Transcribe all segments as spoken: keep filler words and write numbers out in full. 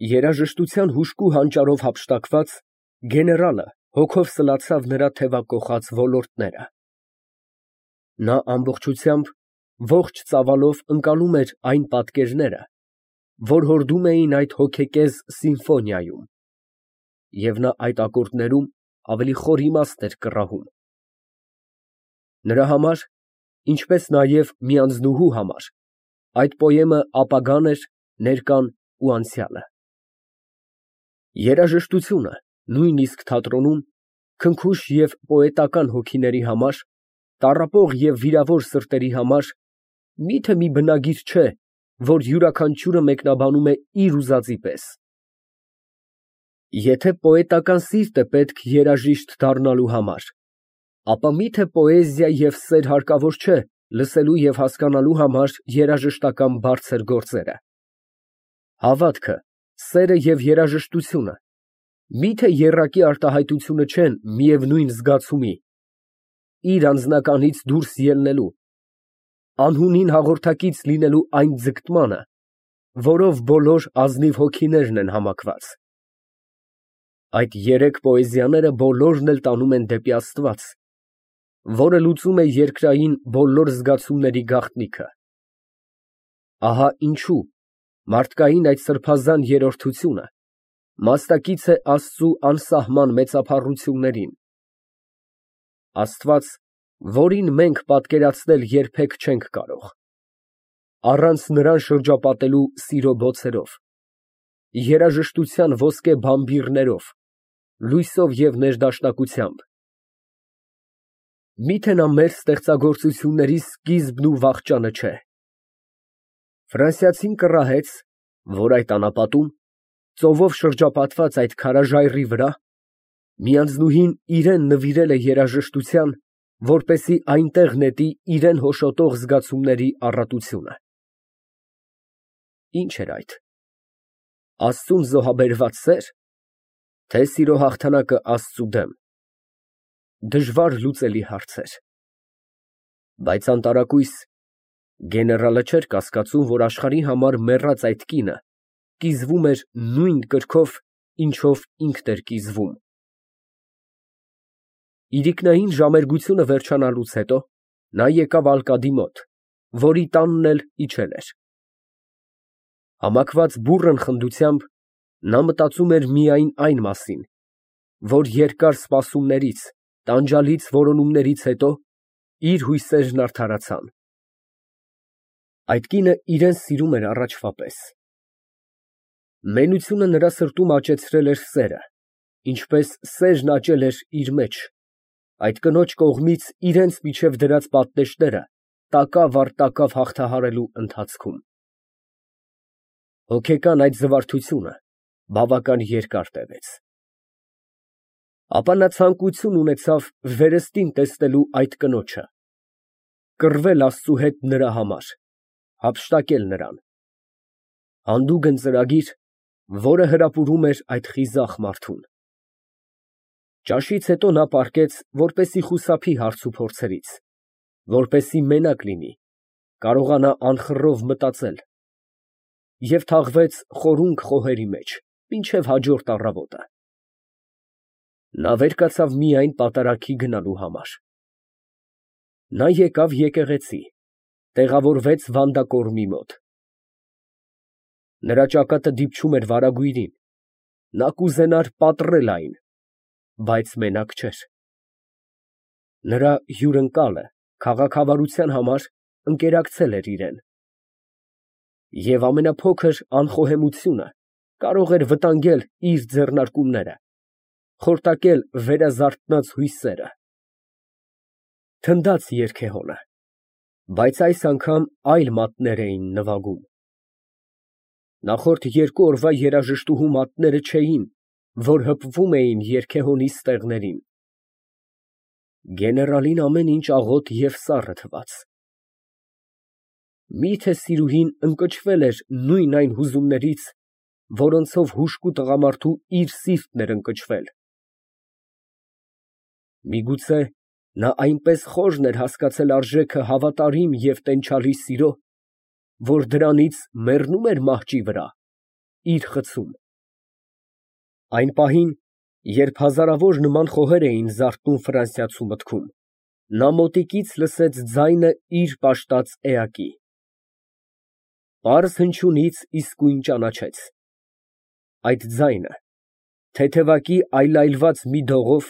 Երաժշտության հուժկու հանճարով հափշտակված, գեներալը հոգով սլացավ նրա թևակոխած ոլորտները. նա ամբողջությամբ ողջ ծավալով ընկալում էր այն պատկերները, որ հորդում էին այդ հոգեկեզ սիմֆոնիայում, և նա այդ ակորդներում ավելի խոր իմաստ էր կռահում։ Նրա համար, ինչպես նաև մի անձնուհու համար, այդ պոեմը ապագան էր, ներկան ու անցյալը։ Երաժշտությունը, նույնիսկ թատրոնում, քնքուշ և պոետական հոգիների համար, տառապող և վիրավոր սրտերի համար մի՞թե մի բնագիր չէ, որ յուրաքանչյուրը մեկնաբանում է իր ուզածի պես։ Եթե պոետական սիրտ է պետք երաժիշտ դառնալու համար, ապա մի՞թե պոեզիա և սեր հարկավոր չէ լսելու և հասկանալու համար երաժշտական բարձր գործերը։ Հավատքը, սերը և երաժշտությունը մի՞թե եռակի արտահայտությունը չեն միևնույն զգացումի, իր անձնականից դուրս ելնելու, անհունին հաղորդակից լինելու այն ձգտմանը, որով բոլոր ազնիվ հոգիներն են համակված։ Այդ երեք պոեզիաները բոլորն էլ տանում են դեպի Աստված, որը լուծում է երկրային բոլոր զգացումների գաղտնիքը։ Ահա ինչու մարդկային այդ սրբազան երրորդությունը մասնակից է Աստծու անսահման մեծափառություններին։ Աստված, որին մենք պատկերացնել երբեք չենք կարող, առանց նրան շրջապատելու սիրո բոցերով, երաժշտության ոսկե բամբիռներով, լույսով և ներդաշնակությամբ, մի՞թե նա մեր ստեղծագործությունների սկիզբն ու վախճանը չէ։ Ֆրանսիացին կռահեց, որ այդ անապատում, ծովով շրջապատված այդ քարաժայռի վրա, մի անձնուհին իրան նվիրել է երաժշտության, որպեսզի այնտեղ նետի իրան հոշոտող զգացումների առատությունը։ Ի՞նչ էր այդ, Աստծուն զոհաբերված սե՞ր, թե՞ սիրո հաղթանակը Աստծու դեմ։ Դժվար լուծելի հարցեր։ Բայց անտարակույս գեներալը չէր կասկածում, որ աշխարհի համար մեռած այդ կինը կիզվում էր նույն կրքով, ինչով ինքն էր կիզվում։ Իրիկնային ժամերգությունը վերջանալուց հետո նա եկավ ալկադի մոտ, որի տանն էլ իջել էր։ Համակված բուռն խնդությամբ նա մտածում էր միայն այն մասին, որ երկար սպասումներից, տանջալից որոնումներից հետո իր հույսերն արդարացան։ Այդ կինը իրան սիրում էր առաջվա պես։ Մենությունը նրա սրտում աճեցրել էր սերը, ինչպես սերն աճել էր իր մեջ, այդ կնոջ կողմից իրենց միջև դրած պատնեշները տակավ առ տակավ հաղթահարելու ընթացքում։ Հոգեկան այդ զվարթությունը բավական երկար տևեց։ Ապա նա ցանկություն ունեցավ վերստին տեսնելու այդ կնոջը, կռվել Աստծու հետ նրա համար, հափշտակել նրան։ Հանդուգն ծրագիր, որը հրապուրում էր այդ խիզախ մարդուն։ Ճաշից հետո նա պառկեց, որպեսզի խուսափի հարցուփորձերից, որպեսզի մենակ լինի, կարողանա անխռով մտածել, և թաղվեց խորունկ խոհերի մեջ մինչև հաջորդ առավոտը։ Նա վեր կացավ միայն պատարագի գնալու համար։ Նա եկավ եկեղեցի, տեղավորվեց վանդակորմի մոտ։ Նրա ճակատը դիպչում էր վարագույրին, նա կուզենար պատռել այն, բայց մենակ չէր։ Նրա հյուրընկալը քաղաքավարության համար ընկերակցել էր իրան, և ամենափոքր անխոհեմությունը կարող էր վտանգել իր ձեռնարկումները, խորտակել վերազարթնած հույսերը։ Թնդաց երգեհոնը, բայց այս անգամ այլ մատներ էին նվագում։ Նախորդ երկու օրվա երաժշտուհու մատները չէին, որ հպվում էին երգեհոնի ստեղներին։ Գեներալին ամեն ինչ աղոտ և սառը թվաց։ Մի՞թե սիրուհին ընկճվել էր նույն այն հուզումներից, որոնցով հուժկու տղամարդու իր սիրտն էր ընկճվել։ Միգուցե նա այնպես խորն էր հասկացել արժեքը հավատարիմ և տենչալի սիրո, որ դրանից մեռնում էր մահճի վրա, իր խցում։ Այն պահին, երբ հազարավոր նման խոհեր էին զարթնում Ֆրանսիացու մտքում, նա մոտիկից լսեց ձայնը իր պաշտած էակի. պարզ հնչյունից իսկույն ճանաչեց. այդ ձայնը թեթևակի այլայլված մի դողով,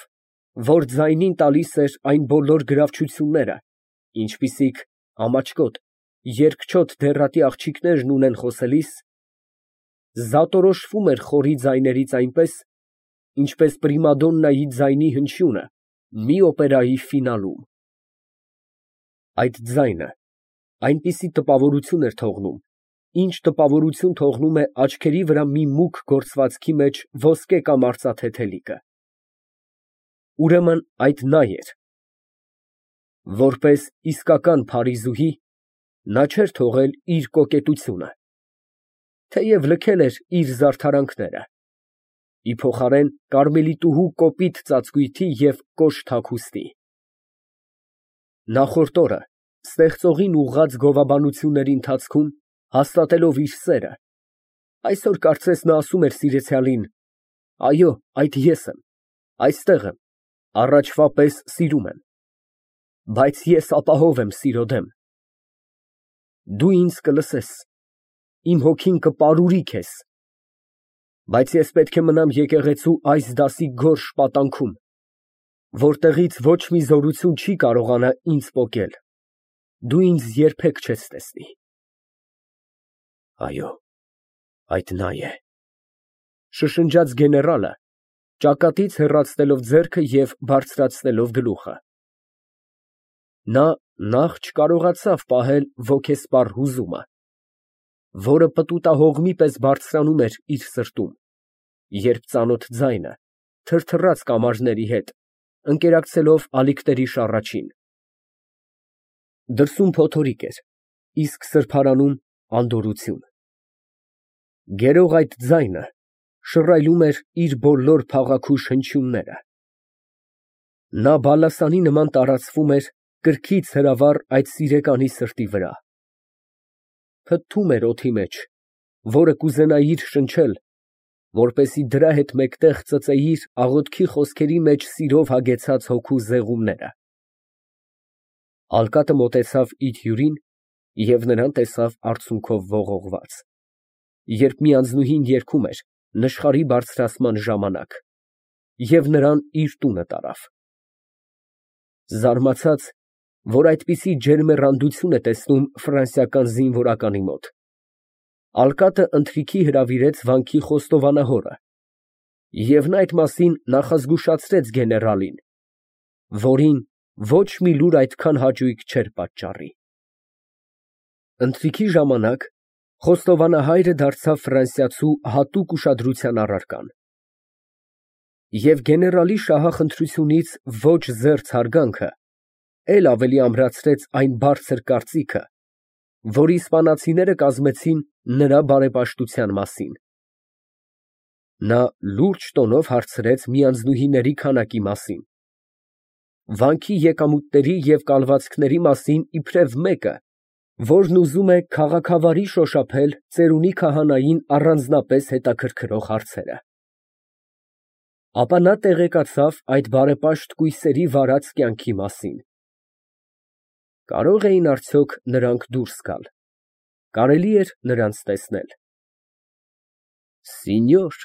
որ ձայնին տալիս էր այն բոլոր գրավչությունները, ինչպիսիք ամաչկոտ, երկչոտ դեռատի աղջիկներն ունեն խոսելիս, զատորոշվում էր խորի ձայներից այնպես, ինչպես պրիմադոննայի ձայնի հնչյունը մի օպերայի ֆինալում։ Այդ ձայնը այնպիսի տպավորություն էր թողնում, ինչ տպավորություն թողնում է աչքերի վրա մի մուգ գործվածքի մեջ ոսկե կամ արծաթե թելիկը։ Ուրեմն այդ նա էր։ Որպես իսկական փարիզուհի, նա չէր թողել իր կոկետությունը, թեև լքել էր իր զարդարանքները, ի փոխարեն կարմելիտուհու կոպիտ ծածկույթի և կոշտ հագուստի։ Նախորդ օրը ստեղծողին ուղղած գովաբանությունների ընթացքում, հաստատելով իր սերը, այսօր կարծես նա ասում էր սիրեցյալին. այո, այդ ես եմ, այստեղ եմ, առաջվա պես սիրում եմ, բայց ես ապահով եմ սիրո դեմ։ Դու ինձ կլսես, իմ հոգին կպարուրի քեզ, բայց ես պետք է մնամ եկեղեցու այս դասի գորշ պատանքում, որտեղից ոչ մի զորություն չի կարողանա ինձ պոկել, դու ինձ երբեք չես տեսնի։ Այո, այդ նա է, շշնջաց գեներալը, ճակատից հեռացնելով ձեռքը և բարձրացնելով գլուխը։ Նա նախ չկարողացավ պահել ոգեսպառ հուզումը, որը պտուտահողմի պես բարձրանում էր իր սրտում, երբ ծանոթ ձայնը թրթռաց կամարների հետ, ընկերակցելով ալիքների շառաչին։ Դրսում փոթորիկ էր, իսկ սրբարանում անդորրություն։ Գերող այդ ձայնը շռայլում էր իր բոլոր փաղաքուշ հնչյունները։ Նա բալասանի նման տարածվում էր կրքից հրավառ այդ սիրեկանի սրտի վրա։ Փթթում էր օդի մեջ, որը կուզենայիր շնչել, որպեսզի դրա հետ մեկտեղ ծծեիր աղոթքի խոսքերի մեջ սիրով հագեցած հոգու զեղումները։ Ալկատը մոտեցավ իր հյուրին և նրան տեսավ արցունքով ողողված, երբ մի անձնուհին երգում էր նշխարի բարձրացման ժամանակ, և նրան իր տունը տարավ։ Զարմացած, որ այդպիսի ջերմեռանդություն է տեսնում ֆրանսիական զինվորականի մոտ, ալկատը ընթրիքի հրավիրեց վանքի խոստովանահորը, և նա այդ մասին նախազգուշացրեց գեներալին, որին ոչ մի լուր այդքան հաճույք չէր պատճառի։ Ընթրիքի ժամանակ խոստովանահայրը դարձավ ֆրանսիացու հատուկ ուշադրության առարկան։ Եվ գեներալի շահախնդրությունից ոչ զերծ հարգանքը էլ ավելի ամրացրեց այն բարձր կարծիքը, որ իսպանացիները կազմեցին նրա բարեպաշտության մասին։ Նա լուրջ տոնով հարցրեց մի անձնուհիների քանակի մասին, վանքի եկամուտների և կալվածքների մասին իբրև մեկը, որն ուզում է քաղաքավարի շոշափել ծերունի քահանային առանձնապես հետաքրքրող հարցերը։ Ապա նա տեղեկացավ այդ բարեպաշտ կույսերի վարած կյանքի մասին։ Կարո՞ղ էին արդյոք նրանք դուրս գալ, կարելի էր նրանց տեսնել։ Սինյոր,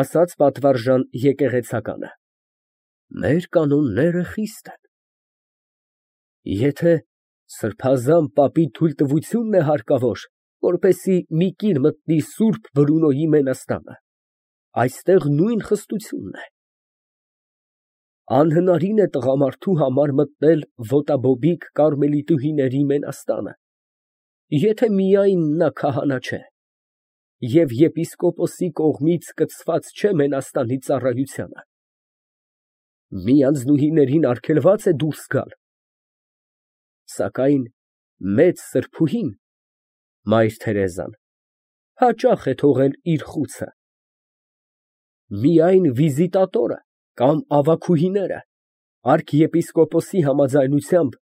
ասաց պատվարժան եկեղեցականը, մեր կանոնները խիստ են։ Եթե սրբազան պապի թույլտվությունն է հարկավոր, որպեսզի մի կին մտնի սուրբ Բրունոյի մենաստանը, այստեղ նույն խստությունն է։ Անհնարին է տղամարդու համար մտնել ոտաբոբիկ կարմելիտուհիների մենաստանը, եթե միայն նա քահանա չէ, և եպիսկոպոսի կողմից կցված չէ մենաստանի ծառայությանը։ Մի անձնուհիներին արգելված է դուրս գալ, սակայն մեծ սրբուհին, մայր Թերեզան, հաճախ է թողել իր խուցը։ Միայն վիզիտատորը կամ ավագուհիները արքեպիսկոպոսի համաձայնությամբ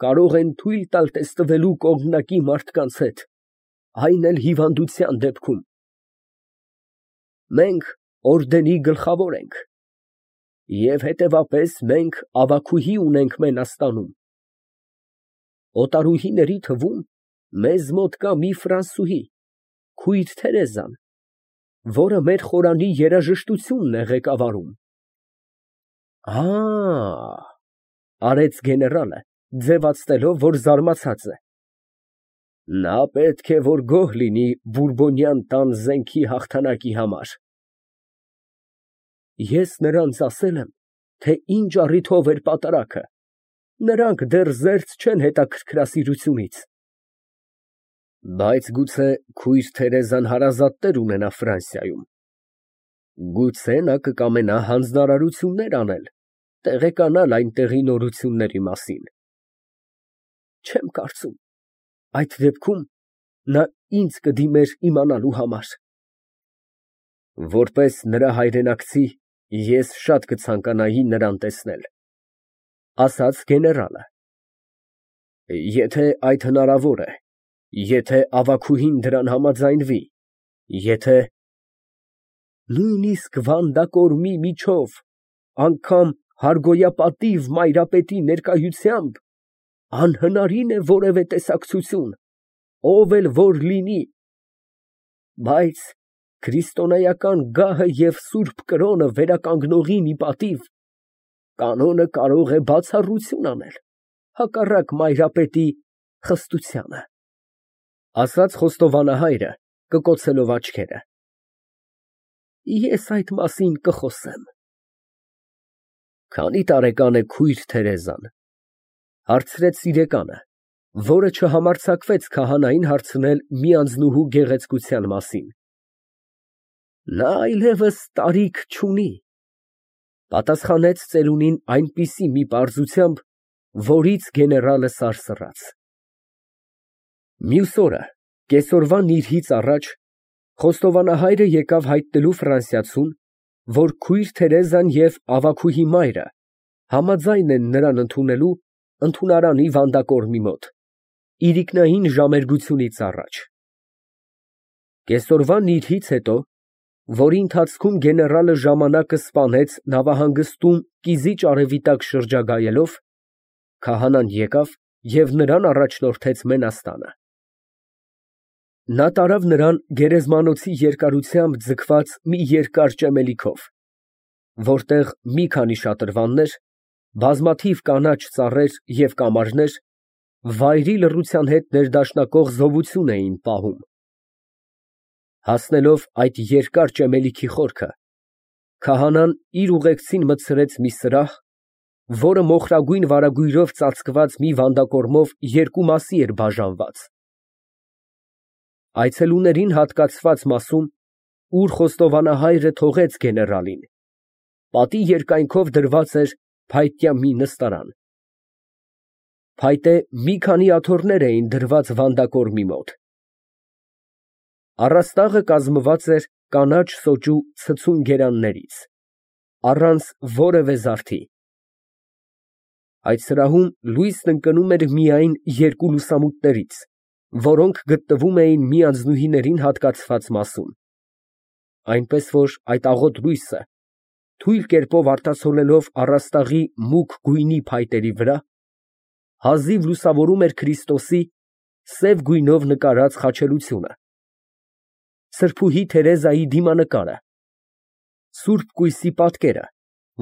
կարող են թույլ տալ տեսնվելու կողմնակի մարդկանց հետ, այն էլ հիվանդության դեպքում։ Մենք, օրդենի գլխավոր ենք, և հետևապես մենք ավագուհի ունենք Մենաստանում։ Օտարուհիների թվում մեզ մոտ կա մի ֆրանսուհի, քույր Թերեզան, որը մեր խորանի երաժշտությունն է ղեկավարում։ Ա, արեց գեներալը, ձևացնելով, որ զարմացած է։ Նա պետք է որ գոհ լինի բուրբոնյան տան զենքի հաղթանակի համար։ Ես նրանց ասել եմ, թե ինչ առիթով էր պատարագը, նրանք դեռ զերծ չեն հետաքրքրասիրությունից։ Բայց գուցե քույր Թերեզան հարազատներ ունենա Ֆրանսիայում։ Գուցե նա կկամենա հանձնարարություններ անել, տեղեկանալ այնտեղի նորությունների մասին։ Չեմ կարծում, այդ դեպքում նա ինձ կդիմեր իմանալու համար։ Որպես նրա հայրենակցի, ես շատ կցանկանայի նրան տեսնել, ասաց գեներալը։ Եթե այդ հնարավոր է, եթե ավագուհին դրան համաձայնվի, եթե… Նույնիսկ վանդակորմի միջով, անգամ հարգոյապատիվ մայրապետի ներկայությամբ անհնարին է որևէ տեսակցություն, ով էլ որ լինի, բայց քրիստոնեական գահը և սուրբ կրոնը վերականգնողի ի պատիվ, կանոնը կարող է բացառություն անել, հակառակ մայրապետի խստությանը, ասաց խոստովանահայրը, կկոցելով աչքերը։ Ես այդ մասին կխոսեմ։ Քանի տարեկան է քույր Թերեզան, հարցրեց սիրեկանը, որը չհամարձակվեց քահանային հարցնել մի անձնուհու գեղեցկության մասին։ Նա այլևս տարիք չունի, պատասխանեց ծերունին այնպիսի մի պարզությամբ, որից գեներալը սարսռաց։ Մյուս օրը, կեսօրվա նիրհից առաջ, խոստովանահայրը եկավ հայտնելու ֆրանսիացուն, որ քույր Թերեզան և ավագուհի մայրը համաձայն են նրան ընդունելու ընդունարանի վանդակորմի մոտ, իրիկնային ժամերգությունից առաջ։ Կեսօրվա նիրհից հետո, որի ընթացքում գեներալը ժամանակը սպանեց նավահանգստում կիզիչ արևի տակ շրջագայելով, քահանան եկավ և նրան առաջնորդեց Մենաստանը։ Նա տարավ նրան գերեզմանոցի երկարությամբ ձգված մի երկար ճեմելիքով, որտեղ մի քանի շատրվաններ, բազմաթիվ կանաչ ծառեր և կամարներ վայրի լռության հետ ներդաշնակող զովություն էին պահում։ Հասնելով այդ երկար ճեմելիքի խորքը, քահանան իր ուղեկցին մտցրեց մի սրահ, որը մոխրագույն վարագույրով ծածկված մի վանդակորմով երկու մասի էր բաժանված։ Այցելուներին հատկացված մասում, ուր խոստովանահայրը թողեց գեներալին, պատի երկայնքով դրված էր փայտյա մի նստարան։ Փայտե մի քանի աթոռներ էին դրված վանդակորմի մոտ։ Առաստաղը կազմված էր կանաչ սոճու ցցուն գերաններից, առանց որևէ զարդի։ Այդ սրահում լույսն ընկնում էր միայն երկու լուսամուտներից, որոնք գտնվում էին մի անձնուհիներին հատկացված մասում, այնպես որ այդ աղոտ լույսը, թույլ կերպով արտացոլելով առաստաղի մուգ գույնի փայտերի վրա, հազիվ լուսավորում էր Քրիստոսի սև գույնով նկարած խաչելությունը, սրբուհի Թերեզայի դիմանկարը, սուրբ կույսի պատկերը,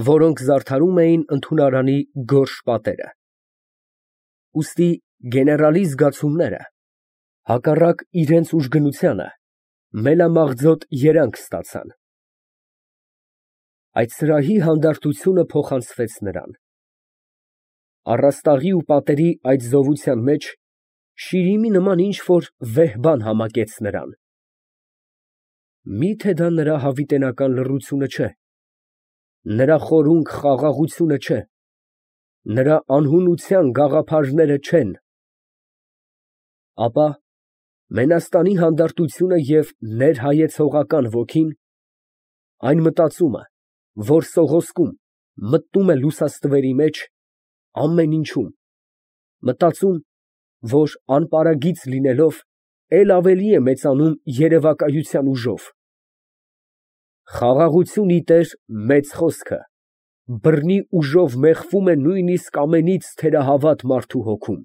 որոնք զարդարում էին ընդունարանի գորշ պատերը։ Ուստի գեներալի զգացումները, հակառակ իրենց ուժգնությանը, մելամաղձոտ երանգ ստացան։ Այդ սրահի հանդարտությունը փոխանցվեց նրան։ Առաստաղի ու պատերի այդ զովության մեջ շիրիմի նման ինչ֊որ վեհ բան համակեց նրան։ Մի՞թե դա նրա հավիտենական լռությունը չէ, նրա խորունկ խաղաղությունը չէ, նրա անհունության գաղափարները չեն… Ապա Մենաստանի հանդարտությունը և ներհայեցողական ոգին, այն մտածումը, որ սողոսկում, մտնում է լուսաստվերի մեջ, ամեն ինչում, մտածում, որ անպարագիծ լինելով, էլ ավելի է մեծանում երևակայության ուժով, Խաղաղություն իտեր մեծ խոսքը, բռնի ուժով մեխվում է նույնիսկ ամենից թերահավատ մարդու հոգում։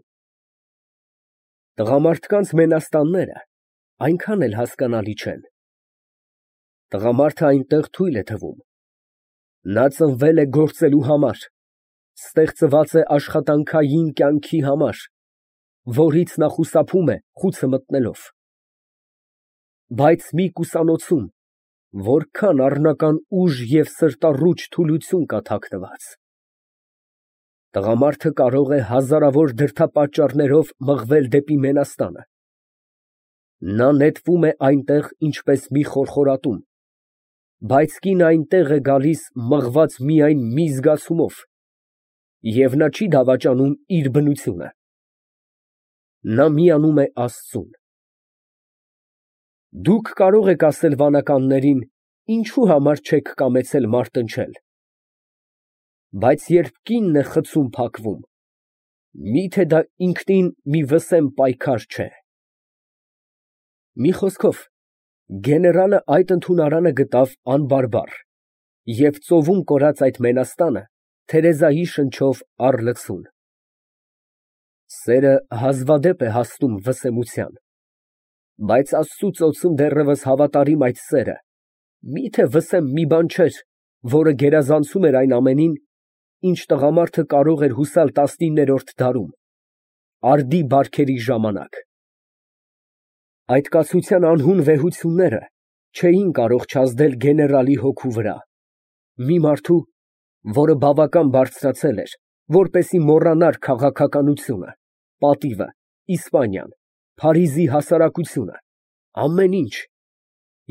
Տղամարդկանց մենաստանները այնքան էլ հասկանալի չեն։ Տղամարդը այնտեղ թույլ է թվում։ Նա ծնվել է գործելու համար, ստեղծված է աշխատանքային կյանքի համար, որից նա խուսափում է խուցը մտնելով։ Բայց մի կուսանոցում որքան առնական ուժ և սրտառուչ թուլություն կա թաքնված։ Տղամարդը կարող է հազարավոր դրդապատճառներով մղվել դեպի մենաստանը։ Նա նետվում է այնտեղ ինչպես մի խորխորատում, բայց կինը այնտեղ է գալիս մղված միայն մի զգացումով, և նա չի դավաճանում իր բնությունը։ Նա միանում է Աստծուն։ Դուք կարող եք ասել վանականներին, ինչու համար չեք կամեցել մարտնչել։ Բայց երբ կինն է խցում փակվում, մի՞թե դա ինքնին մի վսեմ պայքար չէ։ Մի խոսքով, գեներալը այդ ընդունարանը գտավ անբարբար և ծովում կորած այդ մենաստանը Թերեզայի շնչով առ լցուն։ Սերը հազվադեպ է հասնում վսեմության, բայց Աստծու ծոցում դեռևս հավատարիմ այդ սերը մի՞թե վսեմ մի բան չէր, որը գերազանցում էր այն ամենին, ինչ տղամարդը կարող էր հուսալ տասնիններորդ դարում, արդի բարքերի ժամանակ։ Այդ կացության անհուն վեհությունները չէին կարող չազդել գեներալի հոգու վրա, մի մարդու, որը բավական բարձրացել էր, որպեսզի մոռանար քաղաքականությունը, պատիվը, Իսպանիան, Փարիզի հասարակությունը, ամեն ինչ,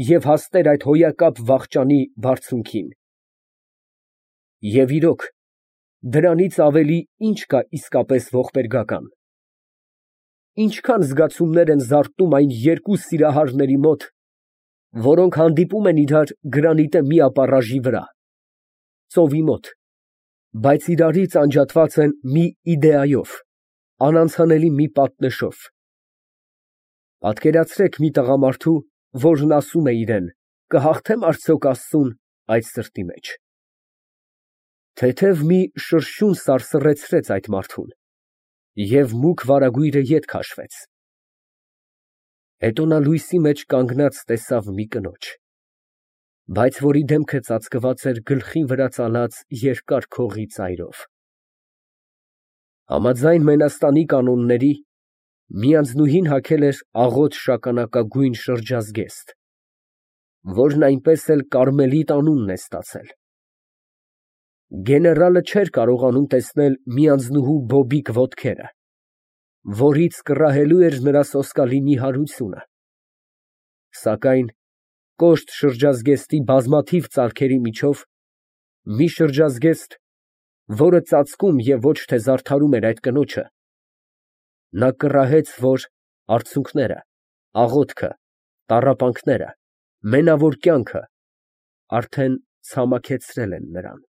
և հասներ այդ հոյակապ վախճանի բարձունքին։ Եվ իրոք, դրանից ավելի ի՞նչ կա իսկապես ողբերգական։ Ինչքան զգացումներ են զարթնում այն երկու սիրահարների մոտ, որոնք հանդիպում են իրար գրանիտե մի ապառաժի վրա, ծովի մոտ, բայց իրարից անջատված են մի իդեայով, անանցանելի մի պատնեշով։ Պատկերացրեք մի տղամարդու, որն ասում է իրան. կհաղթե՞մ արդյոք Աստծուն այդ սրտի մեջ։ Թեթև մի շրշյուն սարսռեցրեց այդ մարդուն, և մուգ վարագույրը ետ քաշվեց։ Հետո նա լույսի մեջ կանգնած տեսավ մի կնոջ, բայց որի դեմքը ծածկված էր գլխի վրա ծալած երկար քողի ծայրով։ Համաձայն մենաստանի կանոնների, մի անձնուհին հագել էր աղոտ շագանակագույն շրջազգեստ, որն այնպես էլ Կարմելիտ անունն է ստացել։ Գեներալը չէր կարողանում տեսնել մի անձնուհու բոբիկ ոտքերը, որից կռահելու էր նրա սոսկալի նիհարությունը, սակայն կոշտ շրջազգեստի բազմաթիվ ծալքերի միջով մի շրջազգեստ, որը ծածկում և ոչ թե զարդարում էր այդ կնոջը, նա կռահեց, որ արցունքները, աղոթքը, տառապանքները, մենավոր կյանքը արդեն ցամաքեցրել են նրան։